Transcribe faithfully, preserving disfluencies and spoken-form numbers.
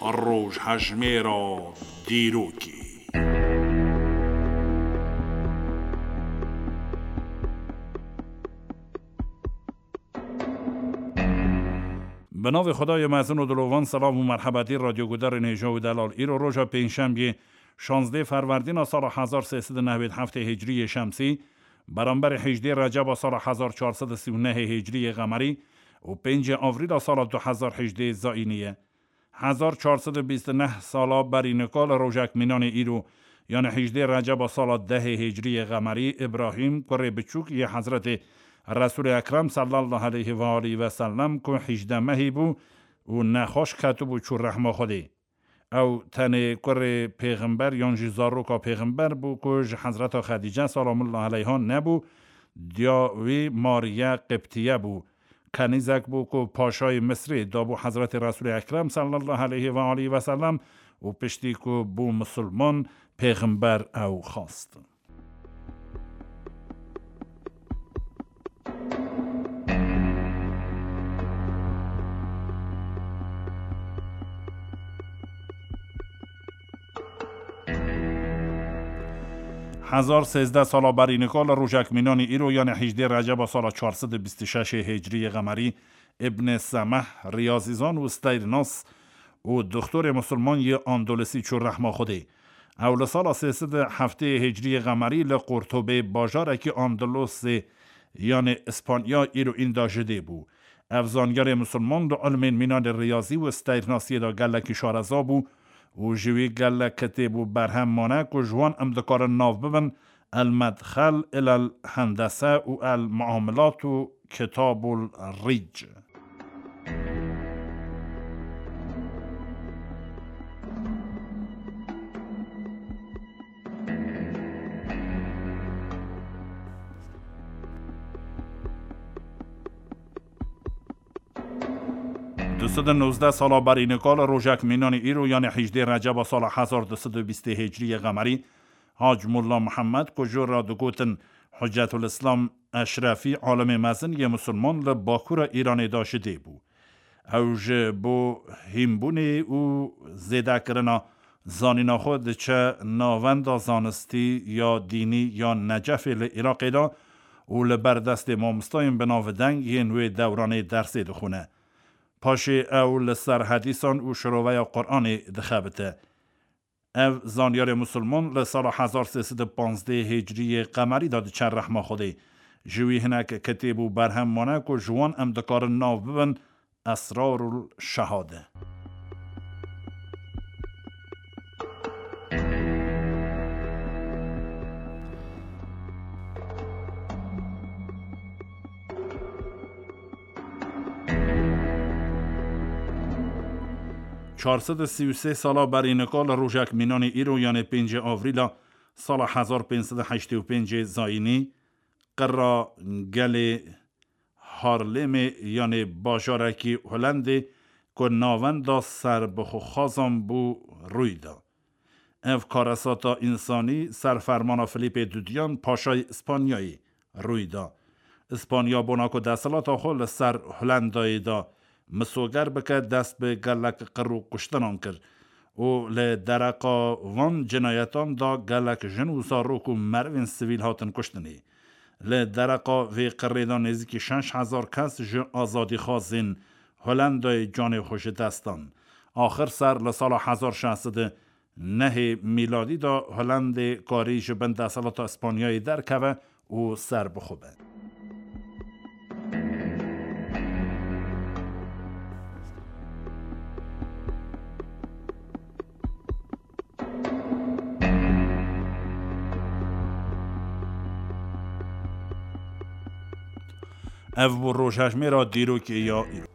Rojhejmêra dîrokê. Bi navê Xwedayê mezin û dilovan, silav û merhebetî radyogudarên hêja û delal. Îro roja pêncşembiyê, şazdeh ferwerdîna sala hezar sê sed û newêd heftê hicriyê şemsî, beramberî hejdê receba sala hezar çar sed û sî û nehê hicriyê qemerî û pêncê avrîla sala du hezar hejdê zayînî ye. Hezar çar sed û bîst û neh sala berî nika li rojek mînanê îro, yanî hejdê receba sala dehê hicriyê qemerî, Îbrahîm, kurê biçûk yê Hezretê Resûlê Ekrem sallallahu aleyhi ve aleyhi ve sellem, ku hejdeh mehî bû û nexweş ketibû, çû rehma Xwedê. Ew tenê kurê pêxember yan jî zaroka pêxember bû, ku ji Hezreta Xedîce, selamullah aleyha, nebû. Diya wî Mariye Qibtiye bû. Kenîzek bû ku paşayê Misrê dabû Hezretê Resûlê Ekrem sallallahu aleyhi ve aleyhi ve sellem û piştî ku bû misilman, pêxember ew xwest. Hezar sêzdeh sala berî nika li rojek mînanî îro, yanî hejdê receba sala çar sed û bîst û şeş hicriyê qemerî, Îbn Semeh, riyazîzan û steyrnas û doktorê misilman yê Andalusî, çû rehma Xwedê. Ew li sala sê sed û heftê hicriyê qemerî li Qurtubê, bajarekî Andalusê, yanî Îspanya, îro înda ji dê bû. Ev zanyarê misilman di ilmên mînanê riyazî û steyrnasiyê de gelekî şareza bû û ji wî gelek kitêb û berhem mane ku ji wan em dikarin nav bibin: El Medxel ilel Hendese û El Muamilat û Kitabul Rîc. Du sed û nozdeh sala berî nika li rojek mînanî îro, yanî hejdê receba sala hezar du sed û bîstê hicriyê qemerî, Hac Molla Muhammed, ku jor re digotin Hucetul Îslam Eşrefî, alimê mezin yê misilman li bakûra Îranê de ji dê bû. Ew ji bo hînbûnê û zêdekirina zanîna xwe diçe navenda zanistî ya dînî ya Necefê li Iraqê de û li ber destê mamostayên bi navdeng yên wê dewranê dersê dixwine. Paşê ew li ser hedîsan û şiroveya Quranê dixebite. Ev zanyarê misilman li sala hezar sê sed û panzdeh hicriyê qemerî de diçe rehma Xwedê. Ji wî hinek kitêb û berhem mane ku ji wan em dikarin nav bibin Esrarul Şehade. Çar sed û sî û sê sala berî nika li rojek mînanê îro, yanê pêncê avrîla sala hezar pênc sed û heştê û pêncê zayînî, qira gelê Harlemê, yanê bajarekî Holendê ku navenda serbixwexazan bû, rûy da. Ev karesata însanî ser fermana Filîpê Dudiyan, paşayê Îspanyayê, rûy da. Îspanya bona ku desthilata xwe li ser Holendayê de misoger bike, dest bi gelek qir û kuştinan kir û li dereqa van cinayetan de gelek jin û zarok û merivên sivîl hatin kuştinê. Li dereqa vê qirê de nêzîkî şeş hezar kes ji azadîxwazên Holendayê canê xwe ji dest dan. Axir ser li sala hezar şeş sed û nehê mîladî de Holendê karî ji bin desthilata Îspanyayê derkeve û serbixwe be. Ev bû rojhejmêra dîrokê ya îro.